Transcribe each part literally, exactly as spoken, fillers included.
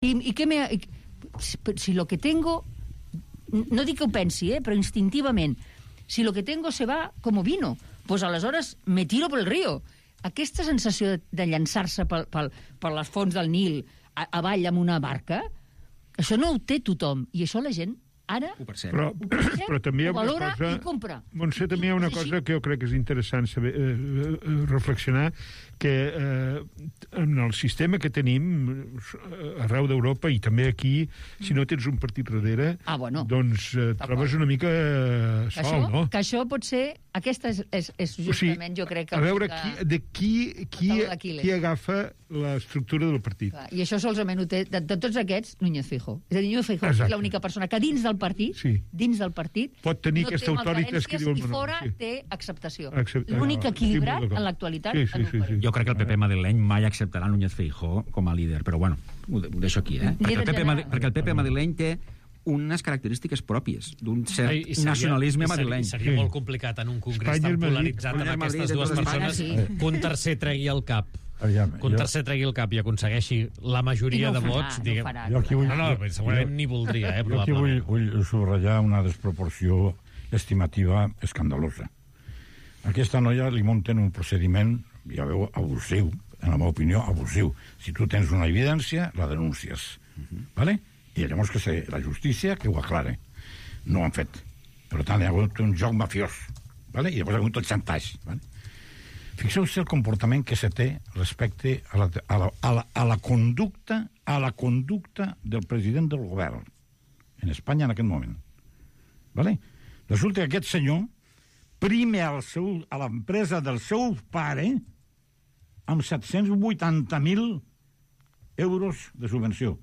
I, i què me... Si, si lo que tengo... No dic que ho pensi, eh, però instintivament. Si lo que tengo se va como vino, pues aleshores me tiro pel río. Aquesta sensació de, de llançar-se pel, pel, per les fonts del Nil a, avall amb una barca, això no ho té tothom. I això la gent ara però, però també hi ha una valora cosa, i compra. Montse, també hi ha una cosa que jo crec que és interessant saber, eh, reflexionar, que eh, en el sistema que tenim arreu d'Europa i també aquí, si no tens un partit darrere, ah, bueno. doncs eh, trobes una mica eh, sol, això, no? Que això pot ser... Aquesta és, és, és justament, o sigui, jo crec que... A veure, que... qui, de qui, qui, qui agafa l'estructura del partit. Clar, i això solament ho té, de, de tots aquests, Núñez Feijóo. És a dir, Núñez Feijóo és l'única persona que dins del partit, sí. dins del partit, pot tenir no aquesta autoritat que diu el i menor, fora sí. té acceptació. Accept... L'únic equilibrat sí, en l'actualitat. Sí, sí, sí, sí. Jo crec que el P P madrileny mai acceptarà Núñez Feijóo com a líder, però bueno, ho deixo aquí, eh? Perquè el P P, perquè el P P madrileny té unes característiques pròpies d'un cert I seria, i nacionalisme seria, madrileny. I seria sí. molt complicat en un congrés Espanya, tan polaritzat Espanya, amb aquestes dues persones sí. que un tercer tregui el cap Aviam, que un jo... tercer tregui el cap i aconsegueixi la majoria no de farà, vots no diguem... farà, no, no, vull... no, no, segurament jo, ni voldria eh, jo aquí vull, vull subratllar una desproporció estimativa escandalosa. Aquesta noia li munten un procediment, ja veu, abusiu, en la meva opinió, abusiu. Si tu tens una evidència, la denúncies. Uh-huh. Vale? I llavors que sé, la justícia que ho aclare. No ho han fet. Per tant, hi ha hagut un joc mafiós. Vale? I llavors hi ha hagut el xantatge. Vale? Fixeu-se el comportament que se té respecte a la, a, la, a, la, a la conducta a la conducta del president del govern en Espanya en aquest moment. Vale? Resulta que aquest senyor prime al seu, a l'empresa del seu pare amb set-cents vuitanta mil euros de subvenció.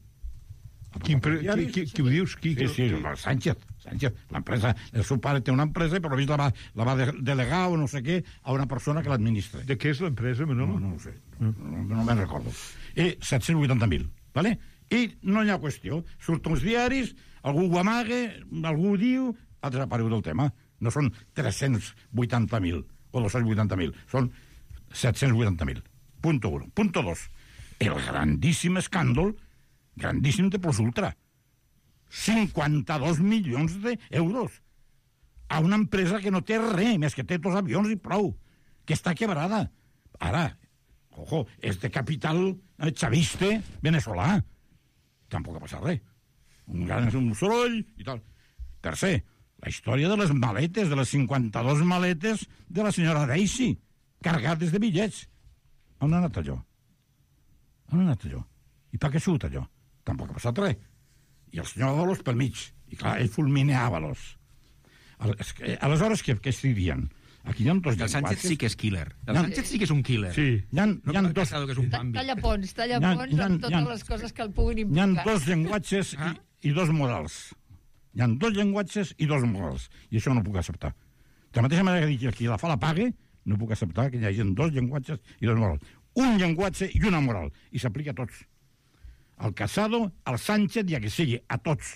Quin pre... qui, qui, qui ho dius? Qui, sí, sí, Sánchez. Sánchez. L'empresa, el seu pare té una empresa, però la va, la va delegar o no sé què a una persona que l'administra. De què és l'empresa, Manolo? No, no ho sé. No, no, no me'n recordo. I set-cents vuitanta mil, ¿vale? I no hi ha qüestió. Surten els diaris, algú ho amaga, algú ho diu, ha desaparegut del tema. No són tres-cents vuitanta mil o dos-cents vuitanta mil, són set-cents vuitanta mil. Punto uno. Punto dos. El grandíssim escàndol, grandíssim de plus ultra. cinquanta-dos milions d'euros a una empresa que no té res, més que té dos avions i prou, que està quebrada. Ara, ojo, és de capital chaviste venezolà. Tampoc ha passat res. Un gran un soroll i tal. Tercer, la història de les maletes, de les cinquanta-dos maletes de la senyora Daisy, cargades de bitllets. On ha anat allò? On ha anat allò? I per què ha sigut allò? Tampoc ha passat res. I el senyor Ábalos pel mig. I clar, ell fulmina Ábalos. Aleshores, què, què estic dient? Aquí hi ha dos llenguatges... El Sánchez sí que és killer. El Sánchez sí que és un killer. Sí. Hi ha, no hi ha dos... Que és un talla ponts, talla ponts amb totes les coses que el puguin implicar. Hi ha dos llenguatges ah? i, i dos morals. Hi ha dos llenguatges i dos morals. I això no ho puc acceptar. De la mateixa manera que dic que qui la fa la pague, no puc acceptar que hi hagi dos llenguatges i dos morals. Un llenguatge i una moral. I s'aplica a tots. Al Casado, al Sánchez i a que sigui, a tots.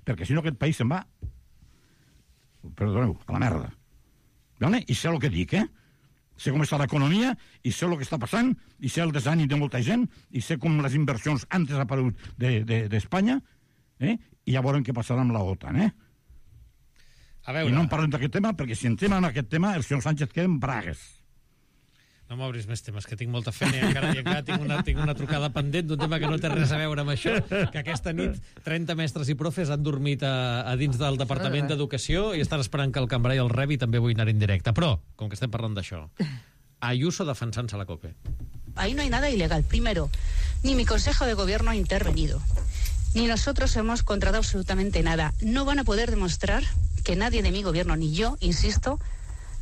Perquè si no aquest país se'n va, perdoneu, a la merda. Vale? I sé el que dic, eh? Sé com està l'economia, i sé el que està passant, i sé el desànim de molta gent, i sé com les inversions han desaparegut d'Espanya, de, de, eh? I ja veurem què passarà amb la OTAN, eh? A veure... I no en parlem d'aquest tema, perquè si entrem en aquest tema, el senyor Sánchez queda en bragues. No m'obris més temes, que tinc molta feina i encara, i encara tinc, una, tinc una trucada pendent d'un tema que no té res a veure amb això, que aquesta nit trenta mestres i profes han dormit a, a dins del Departament d'Educació i estan esperant que el cambrer el rebi i també vull anar en directe. Però, com que estem parlant d'això, Ayuso defensant-se la COPE. Ahí no hay nada ilegal. Primero, ni mi Consejo de Gobierno ha intervenido, ni nosotros hemos contratado absolutamente nada. No van a poder demostrar que nadie de mi gobierno, ni yo, insisto,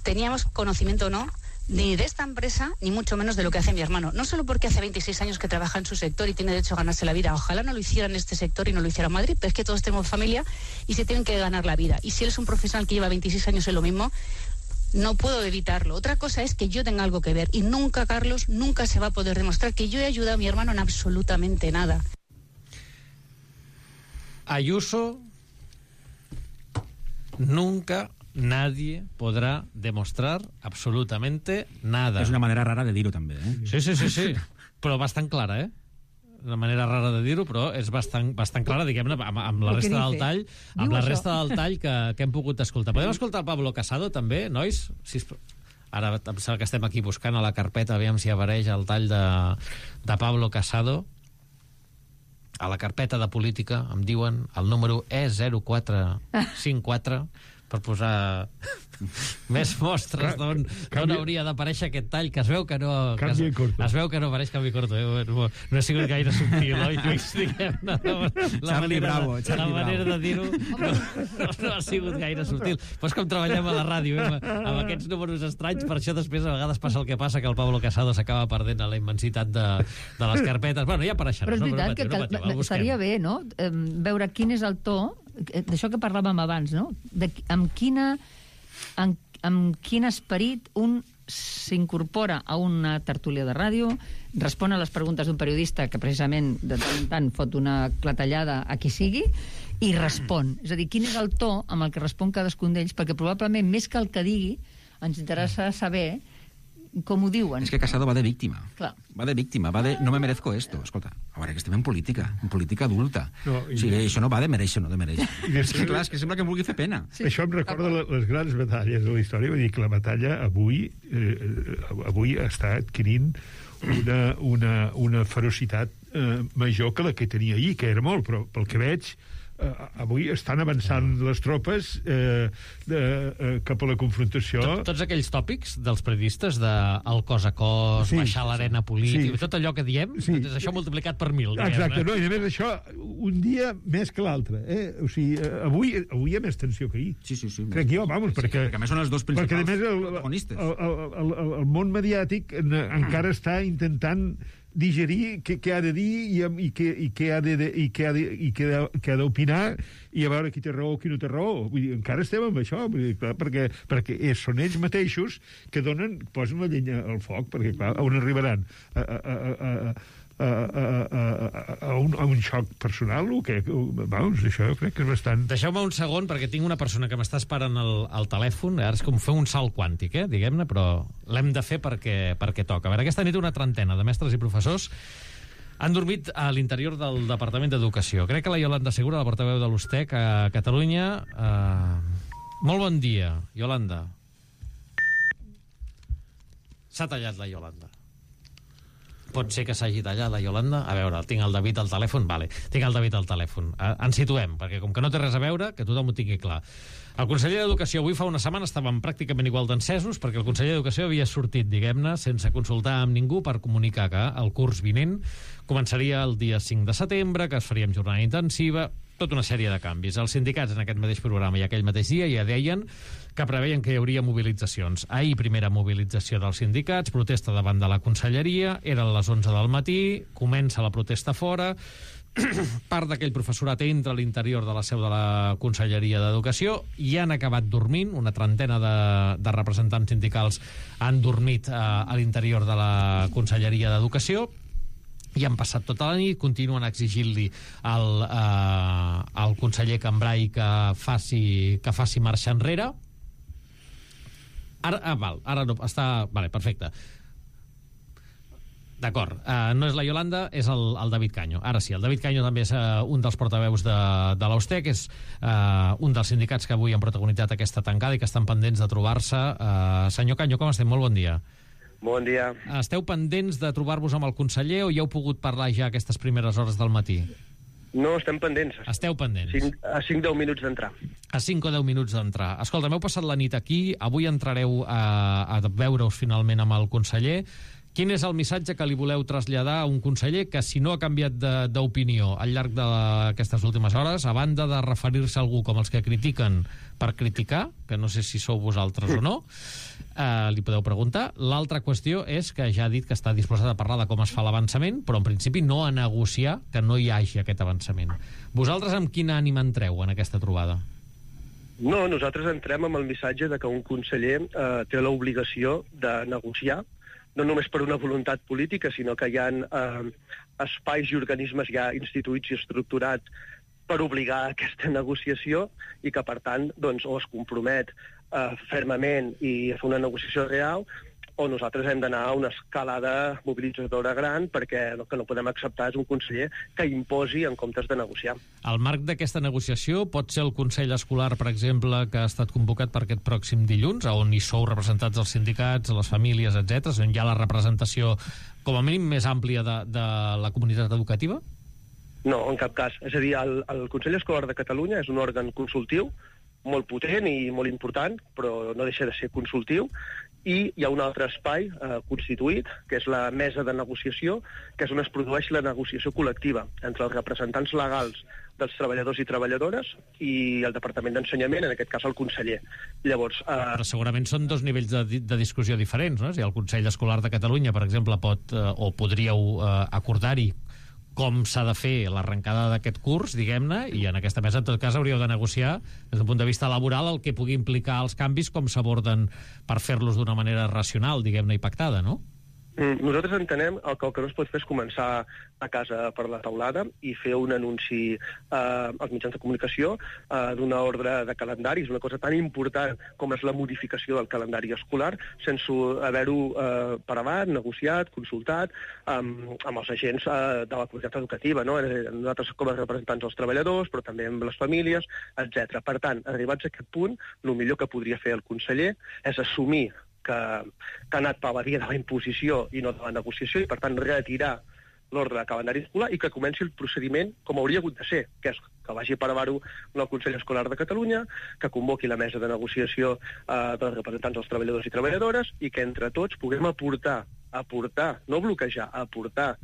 teníamos conocimiento o no ni de esta empresa, ni mucho menos de lo que hace mi hermano. No solo porque hace veintiséis años que trabaja en su sector y tiene derecho a ganarse la vida. Ojalá no lo hiciera en este sector y no lo hiciera en Madrid, pero es que todos tenemos familia y se tienen que ganar la vida. Y si él es un profesional que lleva veintiséis años en lo mismo, no puedo evitarlo. Otra cosa es que yo tenga algo que ver. Y nunca, Carlos, nunca se va a poder demostrar que yo he ayudado a mi hermano en absolutamente nada. Ayuso, nunca... nadie podrá demostrar absolutamente nada. És una manera rara de dir-ho també, eh? Sí, sí, sí, sí. Però bastant clara, eh? una manera rara de dir-ho, però és bastant, bastant clara, diguem-ne, amb, amb la resta del tall, amb la resta del tall que, que hem pogut escoltar. Podem escoltar el Pablo Casado, també, nois? Si Ara em sembla que estem aquí buscant a la carpeta, aviam si apareix el tall de, de Pablo Casado. A la carpeta de política em diuen el número E zero quatre cinc quatre per posar més mostres d'on hauria d'aparèixer aquest tall, que es veu que no... Que es, es veu que no apareix Canvi Corto. Eh? No, no ha sigut gaire subtil, oi, Lluís? Diguem-ne, la, la Charlie manera, Bravo, de, Charlie la manera Bravo. de dir-ho no, no, no ha sigut gaire subtil. Però és com treballem a la ràdio, eh? amb, amb aquests números estranys, per això després a vegades passa el que passa, que el Pablo Casado s'acaba perdent a la immensitat de, de les carpetes. Bueno, ja apareixerà. Però és no? veritat Però que, patiu, que no estaria bé, no?, veure quin és el to, d'això que parlàvem abans, no?, de, amb quina... En, amb quin esperit un s'incorpora a una tertúlia de ràdio, respon a les preguntes d'un periodista que precisament de tant en tant fot una clatellada a qui sigui i respon. És a dir, quin és el to amb el que respon cadascun d'ells, perquè probablement més que el que digui ens interessa saber com ho diuen. És que Casado va de víctima. Clar. Va de víctima, va de no me merezco esto. Escolta, a veure, que estem en política, en política adulta. No, i... O sigui, això no va de mereixer o no de mereixer. És que, clar, és que sembla que em vulgui fer pena. Sí. Això em recorda la, les grans batalles de la història. Vull dir que la batalla avui, eh, avui està adquirint una, una, una ferocitat eh, major que la que tenia ahir, que era molt, però pel que veig eh, avui estan avançant les tropes eh, de, eh, cap a la confrontació. Tot, tots aquells tòpics dels periodistes de el cos a cos, Sí, baixar l'arena política, sí. tot allò que diem, Sí. és això multiplicat per mil. Exacte, no, i a més això, un dia més que l'altre. Eh? O sigui, eh, avui, avui hi ha més tensió que ahir. Sí, sí, sí. Crec jo, vamos, Sí, perquè... perquè a més són els dos Perquè, a principals més, el, protagonistes. el, el, el, el món mediàtic en, encara està intentant digerir què, què ha de dir i, i, què, i què ha de, i què ha de, i què ha, què ha d'opinar i a veure qui té raó o qui no té raó. Vull dir, encara estem amb això, vull dir, clar, perquè, perquè és, són ells mateixos que donen, posen la llenya al foc, perquè clar, on arribaran? A, a, a, a, a, a, a, a, un, a un xoc personal o què? Vamos, això jo crec que és bastant... Deixeu-me un segon, perquè tinc una persona que m'està esperant al, al telèfon. Ara és com fer un salt quàntic, eh, diguem-ne, però l'hem de fer perquè, perquè toca. A veure, aquesta nit una trentena de mestres i professors han dormit a l'interior del Departament d'Educació. Crec que la Iolanda Segura, la portaveu de l'Ustec a Catalunya... Eh... Molt bon dia, Iolanda. S'ha tallat la Iolanda. Pot ser que s'hagi tallat la Iolanda? A veure, tinc el David al telèfon? Vale, tinc el David al telèfon. Ens situem, perquè com que no té res a veure, que tothom ho tingui clar. El conseller d'Educació avui fa una setmana estaven pràcticament igual d'encesos perquè el conseller d'Educació havia sortit, diguem-ne, sense consultar amb ningú per comunicar que el curs vinent començaria el dia cinc de setembre, que es faria amb jornada intensiva, tota una sèrie de canvis. Els sindicats en aquest mateix programa i aquell mateix dia ja deien que preveien que hi hauria mobilitzacions. Ahir, primera mobilització dels sindicats, protesta davant de la conselleria, eren les onze del matí, comença la protesta fora, part d'aquell professorat entra a l'interior de la seu de la Conselleria d'Educació i han acabat dormint, una trentena de, de representants sindicals han dormit eh, a l'interior de la Conselleria d'Educació i han passat tota la nit, continuen exigint-li al, eh, al conseller Cambrai que faci, que faci marxa enrere. Ara, ah, val, ara no, està... Vale, perfecte. D'acord, uh, no és la Iolanda, és el, el David Caño. Ara sí, el David Caño també és uh, un dels portaveus de, de l'Austec, és uh, un dels sindicats que avui han protagonitzat aquesta tancada i que estan pendents de trobar-se. Uh, senyor Caño, com estem? Molt bon dia. Bon dia. Esteu pendents de trobar-vos amb el conseller o ja heu pogut parlar ja aquestes primeres hores del matí? No, estem pendents. Esteu pendents. cinc, a cinc deu minuts d'entrar. A cinc o deu minuts d'entrar. Escolta, m'heu passat la nit aquí, avui entrareu a, a veure-us finalment amb el conseller. Quin és el missatge que li voleu traslladar a un conseller que, si no ha canviat d'opinió al llarg d'aquestes últimes hores, a banda de referir-se a algú com els que critiquen per criticar, que no sé si sou vosaltres o no, eh, li podeu preguntar. L'altra qüestió és que ja ha dit que està disposat a parlar de com es fa l'avançament, però en principi no a negociar que no hi hagi aquest avançament. Vosaltres amb quin ànim entreu en aquesta trobada? No, nosaltres entrem amb el missatge de que un conseller eh, té l'obligació de negociar, no només per una voluntat política, sinó que hi ha eh, espais i organismes ja instituïts i estructurats per obligar a aquesta negociació i que, per tant, doncs, o es compromet eh, fermament i a fer una negociació real o nosaltres hem d'anar a una escalada mobilitzadora gran, perquè el que no podem acceptar és un conseller que imposi en comptes de negociar. Al marc d'aquesta negociació pot ser el Consell Escolar, per exemple, que ha estat convocat per aquest pròxim dilluns, on hi sou representats els sindicats, les famílies, etcètera, on hi ha la representació com a mínim més àmplia de, de la comunitat educativa? No, en cap cas. És a dir, el, el Consell Escolar de Catalunya és un òrgan consultiu molt potent i molt important, però no deixa de ser consultiu, i hi ha un altre espai eh, constituït, que és la mesa de negociació, que és on es produeix la negociació col·lectiva entre els representants legals dels treballadors i treballadores i el Departament d'Ensenyament, en aquest cas el conseller. Llavors, eh... Però segurament són dos nivells de, de discussió diferents, no? Si el Consell Escolar de Catalunya, per exemple, pot eh, o podríeu eh, acordar-hi com s'ha de fer l'arrencada d'aquest curs, diguem-ne, i en aquesta mesa, en tot cas, hauríeu de negociar, des d'un punt de vista laboral, el que pugui implicar els canvis, com s'aborden per fer-los d'una manera racional, diguem-ne, i pactada, no? Nosaltres entenem que el que no es pot fer és començar a casa per la taulada i fer un anunci eh, als mitjans de comunicació eh, d'una ordre de calendari. És una cosa tan important com és la modificació del calendari escolar, sense haver-ho eh, prevat, negociat, consultat amb, amb els agents eh, de la comunitat educativa, no? Nosaltres com a representants dels treballadors, però també amb les famílies, etcètera. Per tant, arribats a aquest punt, el millor que podria fer el conseller és assumir que, que ha anat per la via de la imposició i no de la negociació, i per tant retirar l'ordre de calendari escolar i que comenci el procediment com hauria hagut de ser, que és que vagi a prevar-ho el Consell Escolar de Catalunya, que convoqui la mesa de negociació eh, dels representants dels treballadors i treballadores i que entre tots puguem aportar, aportar, no bloquejar, aportar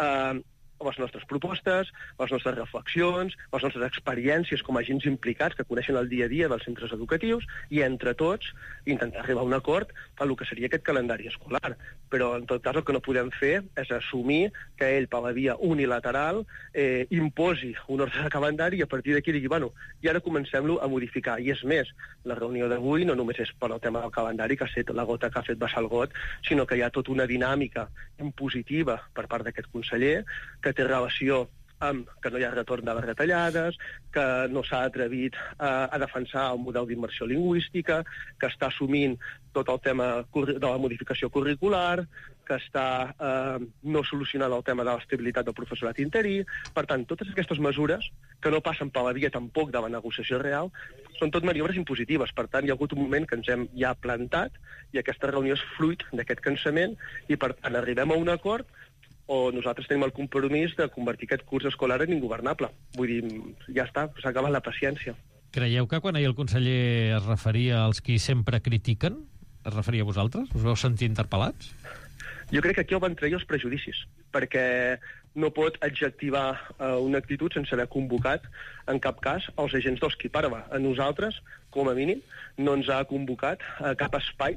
eh, les nostres propostes, les nostres reflexions, les nostres experiències com a agents implicats que coneixen el dia a dia dels centres educatius i entre tots intentar arribar a un acord a el que seria aquest calendari escolar. Però en tot cas el que no podem fer és assumir que ell per la via unilateral eh, imposi un ordre de calendari i a partir d'aquí digui, bueno, i ara comencem-lo a modificar. I és més, la reunió d'avui no només és per al tema del calendari, que ha set la gota que ha fet vessar el got, sinó que hi ha tota una dinàmica impositiva per part d'aquest conseller que té relació amb que no hi ha retorn de les retallades, que no s'ha atrevit a, a defensar el model d'immersió lingüística, que està assumint tot el tema de la modificació curricular, que està eh, no solucionant el tema de l'estabilitat del professorat interí. Per tant, totes aquestes mesures, que no passen per la via tampoc de la negociació real, són tot maniobres impositives. Per tant, hi ha hagut un moment que ens hem ja plantat i aquesta reunió és fruit d'aquest cansament i, per tant, arribem a un acord o nosaltres tenim el compromís de convertir aquest curs escolar en ingovernable. Vull dir, ja està, s'ha acabat la paciència. Creieu que quan ahir el conseller es referia als qui sempre critiquen, es referia a vosaltres? Us vau sentir interpel·lats? Jo crec que aquí el van treure els prejudicis, perquè no pot adjectivar eh, una actitud sense haver convocat, en cap cas, els agents dels qui parla. A nosaltres, com a mínim, no ens ha convocat a cap espai,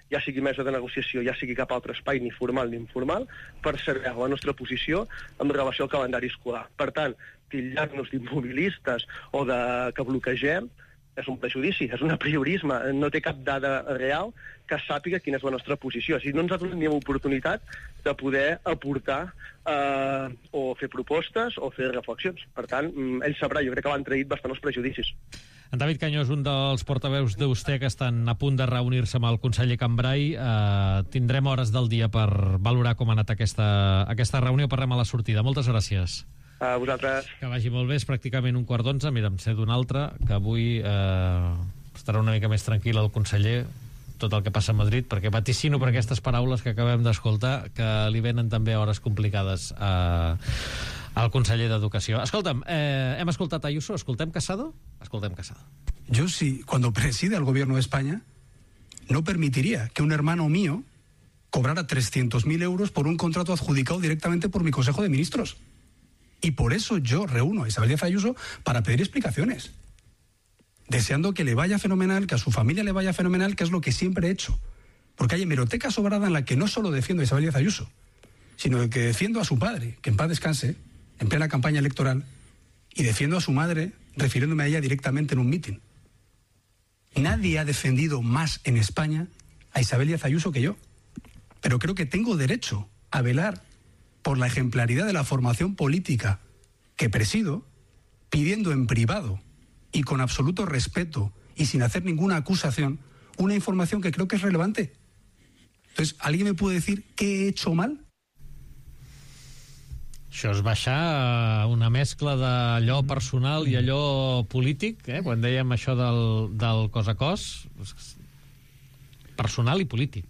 ja sigui mesa de negociació, ja sigui cap altre espai, ni formal ni informal, per saber la nostra posició en relació al calendari escolar. Per tant, titllar-nos d'immobilistes o de que bloquegem és un prejudici, és un apriorisme, no té cap dada real que sàpiga quina és la nostra posició. O sigui, no ens ha donat ni l'oportunitat de poder aportar eh, o fer propostes o fer reflexions. Per tant, ell sabrà, jo crec que l'han traït bastant els prejudicis. En David Canyó és un dels portaveus d'Usté que estan a punt de reunir-se amb el conseller Cambray. Eh, tindrem hores del dia per valorar com ha anat aquesta, aquesta reunió. Parlem a la sortida. Moltes gràcies. A vosaltres. Que vagi molt bé, és pràcticament un quart d'onze. Mira, em sé d'un altre, que avui eh, estarà una mica més tranquil el conseller, tot el que passa a Madrid, perquè vaticino per aquestes paraules que acabem d'escoltar, que li venen també hores complicades a, al conseller d'Educació. Escolta'm, eh, hem escoltat Ayuso, escoltem Casado? Escoltem Casado. Yo sí, cuando preside el gobierno de España, no permitiría que un hermano mío cobrara trescientos mil euros por un contrato adjudicado directamente por mi Consejo de Ministros. Y por eso yo reúno a Isabel Díaz Ayuso para pedir explicaciones, deseando que le vaya fenomenal, que a su familia le vaya fenomenal, que es lo que siempre he hecho. Porque hay hemeroteca sobrada en la que no solo defiendo a Isabel Díaz Ayuso, sino que defiendo a su padre, que en paz descanse, en plena campaña electoral, y defiendo a su madre refiriéndome a ella directamente en un mitin. Nadie ha defendido más en España a Isabel Díaz Ayuso que yo, pero creo que tengo derecho a velar por la ejemplaridad de la formación política que presido, pidiendo en privado y con absoluto respeto y sin hacer ninguna acusación una información que creo que es relevante. Entonces, ¿alguien me puede decir qué he hecho mal? Això és baixar una mescla d'allò personal i allò polític, eh? Quan dèiem això del, del cos a cos, personal i polític.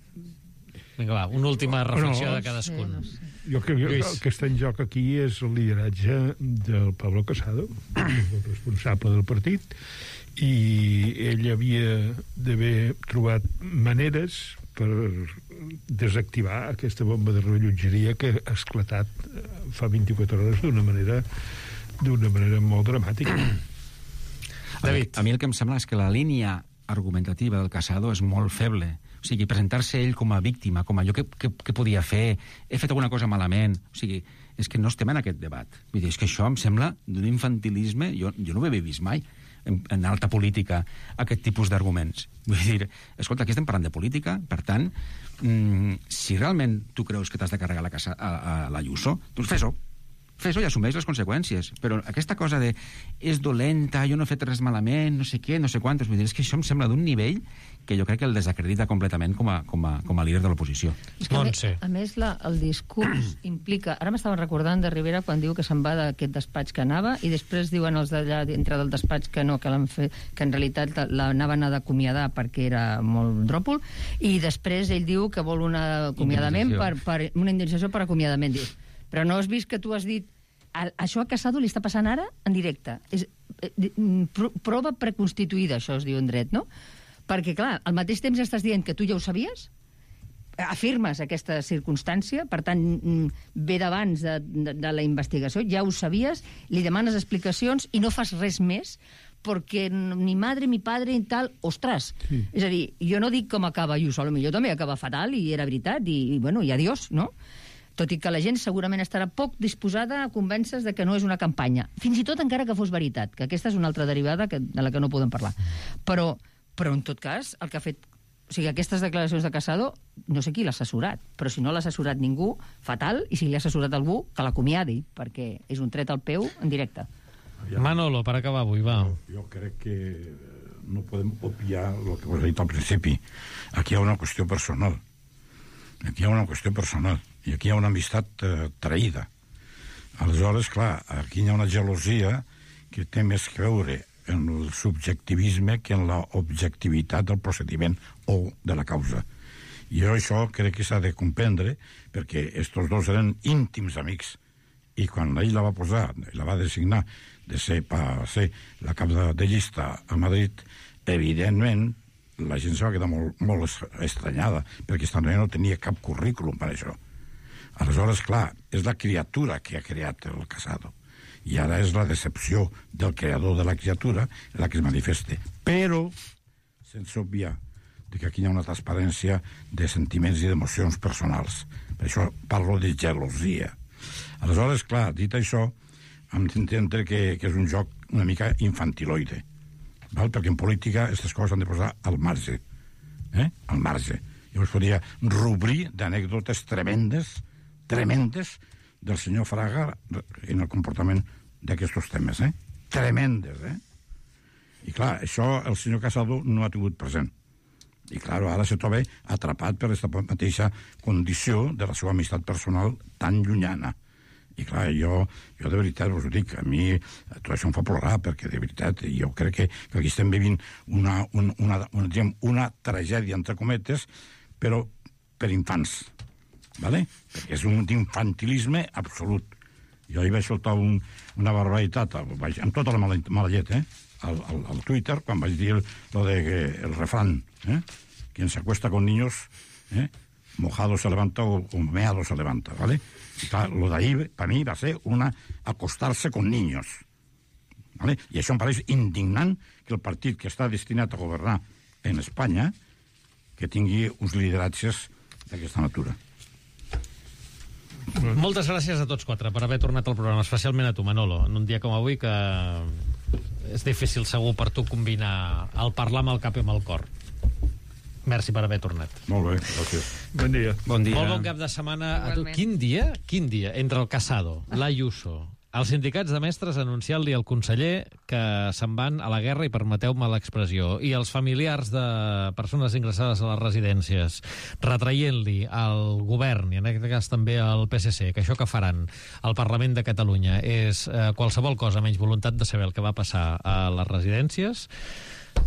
Vinga, va, una última reflexió de cadascun. No sé, no sé. Jo crec que el que està en joc aquí és el lideratge del Pablo Casado, el responsable del partit, i ell havia d'haver trobat maneres per desactivar aquesta bomba de rellotgeria que ha esclatat fa vint-i-quatre hores d'una manera d'una manera molt dramàtica. David. A mi el que em sembla és que la línia argumentativa del Casado és molt feble. O sigui, presentar-se ell com a víctima, com allò que, que, que podia fer, he fet alguna cosa malament. O sigui, és que no estem en aquest debat. Vull dir, és que això em sembla d'un infantilisme, jo, jo no ho havia vist mai en, en alta política, aquest tipus d'arguments. Vull dir, escolta, aquí estem parlant de política, per tant, mmm, si realment tu creus que t'has de carregar la casa a, a l'Ayuso, doncs fes-ho. Fes-ho i assumeix les conseqüències. Però aquesta cosa de és dolenta, jo no he fet res malament, no sé què, no sé quantos, vull dir, és que això em sembla d'un nivell que jo crec que el desacredita completament com a, com a, com a líder de l'oposició. A més, a més la, el discurs implica... Ara m'estava recordant de Rivera quan diu que se'n va d'aquest despatx que anava i després diuen els d'allà dintre del despatx que no, que, fet, que en realitat l'anaven a d'acomiadar perquè era molt dròpol, i després ell diu que vol un acomiadament per, per, una indemnització per acomiadament. Diu, però no has vist que tu has dit a, això a Casado li està passant ara en directe. És eh, pro, prova preconstituïda, això es diu en dret, no? Perquè, clar, al mateix temps estàs dient que tu ja ho sabies, afirmes aquesta circumstància, per tant, ve d'abans de, de, de la investigació, ja ho sabies, li demanes explicacions i no fas res més, perquè ni madre, ni padre, ni tal... Ostres! Sí. És a dir, jo no dic com acaba Ayuso, potser també acaba fatal, i era veritat, i, i bueno, i adiós, no? Tot i que la gent segurament estarà poc disposada a convèncer de que no és una campanya. Fins i tot encara que fos veritat, que aquesta és una altra derivada que, de la que no podem parlar. Però, però en tot cas, el que ha fet... O sigui, aquestes declaracions de Casado, no sé qui l'ha assessorat, però si no l'ha assessorat ningú, fatal, i si li ha assessorat algú, que l'acomiadi, perquè és un tret al peu en directe. Manolo, per acabar avui, va. Jo, jo crec que no podem obviar el que us he dit al principi. Aquí hi ha una qüestió personal. Aquí hi ha una qüestió personal. I aquí hi ha una amistat eh, traïda. Aleshores, clar, aquí hi ha una gelosia que té més que veure en el subjectivisme que en l'objectivitat del procediment o de la causa. I jo això crec que s'ha de comprendre perquè estos dos eren íntims amics i quan ell la va posar, la va designar de ser, per ser la cap de, de llista a Madrid, evidentment la gent se va quedar molt, molt estranyada perquè aquesta noia no tenia cap currículum per això. Aleshores, clar, és la criatura que ha creat el Casado. I ara és la decepció del creador de la criatura la que es manifesta. Però, sense obviar que aquí hi ha una transparència de sentiments i d'emocions personals. Per això parlo de gelosia. Aleshores, clar, dit això, hem d'entendre que, que és un joc una mica infantiloide. Val? Perquè en política aquestes coses s'han de posar al marge. Eh? Al marge. Jo us podria rubrir d'anècdotes tremendes, tremendes, del senyor Fraga en el comportament d'aquests temes, eh? Tremendes, eh? I clar, això el senyor Casado no ha tingut present. I clar, ara se troba atrapat per aquesta mateixa condició de la seva amistat personal tan llunyana. I clar, jo, jo de veritat us ho dic, a mi tot això em fa plorar, perquè de veritat jo crec que, que aquí estem vivint una, una, una, una, diguem, una tragèdia, entre cometes, però per infants. ¿Vale? Perquè és un infantilisme absolut. Jo hi vaig soltar un, una barbaritat, vaig, amb tota la mala, mala llet, eh? Al, al, al Twitter, quan vaig dir lo de que el refrán, eh? Quien se acuesta con niños, eh? Mojado se levanta o, o meado se levanta, ¿vale? Y clar, lo d'ahí, per mi, va ser una acostar-se con niños. ¿Vale? I això em pareix indignant que el partit que està destinat a governar en Espanya que tingui uns lideratges d'aquesta natura. Moltes gràcies a tots quatre per haver tornat al programa, especialment a tu, Manolo, en un dia com avui que és difícil segur per tu combinar el parlar amb el cap i amb el cor. Merci per haver tornat. Molt bé, gràcies. Bon dia. Bon dia. Molt bon cap de setmana a tu. Quin dia? Quin dia? Entre el Casado, l'Ayuso Els sindicats de mestres anunciant-li al conseller que se'n van a la guerra, i permeteu-me l'expressió, i els familiars de persones ingressades a les residències retraient-li al govern, i en aquest cas també al P S C, que això que faran al Parlament de Catalunya és eh, qualsevol cosa menys voluntat de saber el que va passar a les residències.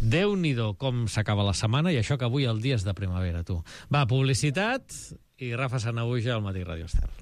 Déu-n'hi-do com s'acaba la setmana, i això que avui el dia és de primavera, tu. Va, publicitat, i Rafa Sanahuja al Matí Radio Estel.